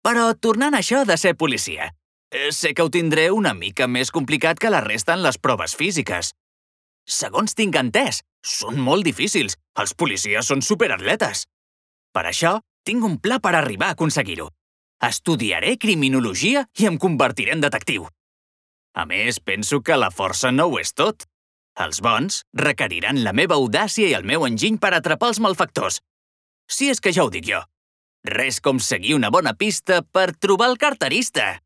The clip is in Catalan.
Però tornant a això de ser policia, sé que ho tindré una mica més complicat que la resta en les proves físiques. Segons tinc entès, són molt difícils. Els policies són superatletes. Per això, tinc un pla per arribar a aconseguir-ho. Estudiaré criminologia i em convertiré en detectiu. A més, penso que la força no ho és tot. Els bons requeriran la meva audàcia i el meu enginy per atrapar els malfactors. Si és que ja ho dic jo. Res com seguir una bona pista per trobar el carterista.